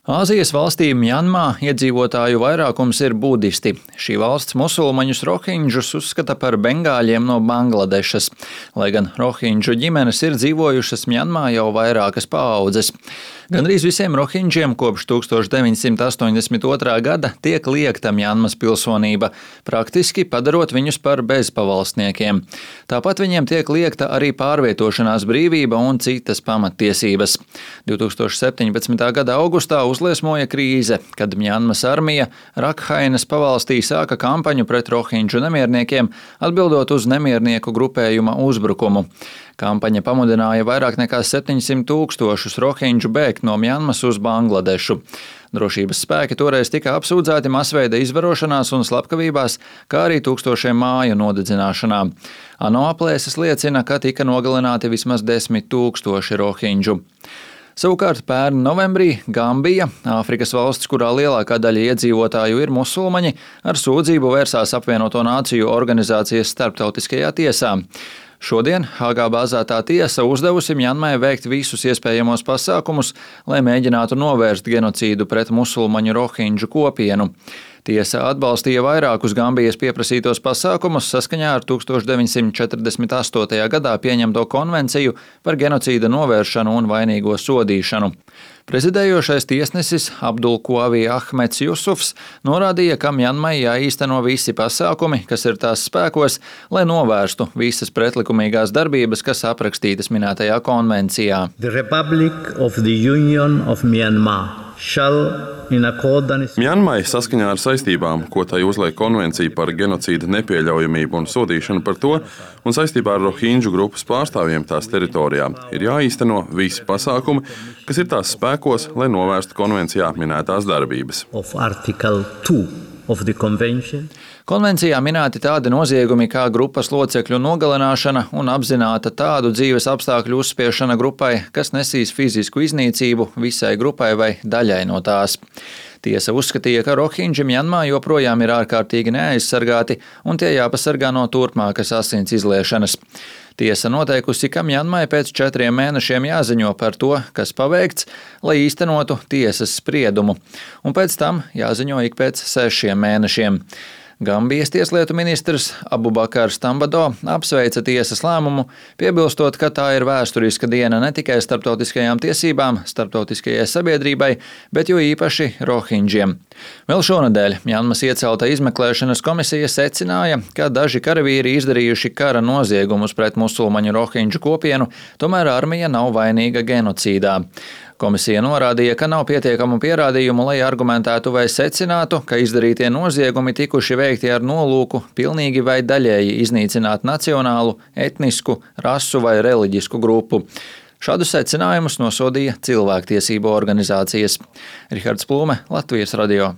Āzijas valstī Mjanmā iedzīvotāju vairākums ir budisti. Šī valsts musulmaņus rohinģus uzskata par bengāļiem no Bangladešas, lai gan rohinģu ģimenes ir dzīvojušas Mjanmā jau vairākas paaudzes. Gandrīz visiem rohinģiem kopš 1982. gada tiek liegta Mjanmas pilsonība, praktiski padarot viņus par bezpavalstniekiem. Tāpat viņiem tiek liegta arī pārvietošanās brīvība un citas pamattiesības. 2017. gada augustā uzliesmoja krīze, kad Mjanmas armija Rakhainas pavalstī sāka kampaņu pret rohinģu nemierniekiem, atbildot uz nemiernieku grupējuma uzbrukumu. Kampaņa pamudināja vairāk nekā 700 000 rohinģu bēgt no Mjanmas uz Bangladešu. Drošības spēki toreiz tika apsūdzēti masveida izvarošanās un slepkavībās, kā arī tūkstošiem māju nodedzināšanā. ANO aplēses liecina, ka tika nogalināti vismaz 10 000 rohinģu. Savukārt pērn novembrī Gambija, Āfrikas valsts, kurā lielākā daļa iedzīvotāju ir musulmaņi, ar sūdzību vērsās Apvienoto Nāciju organizācijas starptautiskajā tiesā. Šodien Hāgā bāzētā tiesa uzdevusi Mjanmai veikt visus iespējamos pasākumus, lai mēģinātu novērst genocīdu pret musulmaņu rohinģu kopienu. Tiesa atbalstīja vairākus Gambijas pieprasītos pasākumus saskaņā ar 1948. gadā pieņemto konvenciju par genocīda novēršanu un vainīgo sodīšanu. Prezidējošais tiesnesis Abdulkvavi Ahmeds Jusufs norādīja, ka Mjanmai jāīsteno visi pasākumi, kas ir tās spēkos, lai novērstu visas pretlikumīgās darbības, kas aprakstītas minētajā konvencijā. Mjanmai saskaņā ar saistībām, ko tai uzliek konvencija par genocīda nepieļaujamību un sodīšanu par to, un saistībā ar rohinģu grupas pārstāvjiem tās teritorijā, ir jāīsteno visi pasākumi, kas ir tās spēkos, lai novērstu konvencijā minētās darbības. Konvencijā minēti tādi noziegumi kā grupas locekļu nogalināšana un apzināta tādu dzīves apstākļu uzspiešana grupai, kas nesīs fizisku iznīcību visai grupai vai daļai no tās. Tiesa uzskatīja, ka rohinģi Mjanmā joprojām ir ārkārtīgi neaizsargāti un tie jāpasargā no turpmākas asins izliešanas. Tiesa noteikusi, ka Mjanmai pēc 4 mēnešiem jāziņo par to, kas paveikts, lai īstenotu tiesas spriedumu, un pēc tam jāziņo ik pēc 6 mēnešiem. Gambijas tieslietu ministrs Abubakars Tambado apsveica tiesas lēmumu, piebilstot, ka tā ir vēsturiska diena ne tikai starptautiskajām tiesībām, starptautiskajai sabiedrībai, bet jo īpaši rohinģiem. Vēl šonadēļ Mjanmas iecelta izmeklēšanas komisija secināja, ka daži karavīri izdarījuši kara noziegumus pret musulmaņu rohinģu kopienu, tomēr armija nav vainīga genocīdā. Komisija norādīja, ka nav pietiekamu pierādījumu, lai argumentētu vai secinātu, ka izdarītie noziegumi tikuši veikti ar nolūku pilnīgi vai daļēji iznīcināt nacionālu, etnisku, rasu vai reliģisku grupu. Šādus secinājumus nosodīja cilvēktiesību organizācijas. Rihards Plūme, Latvijas radio.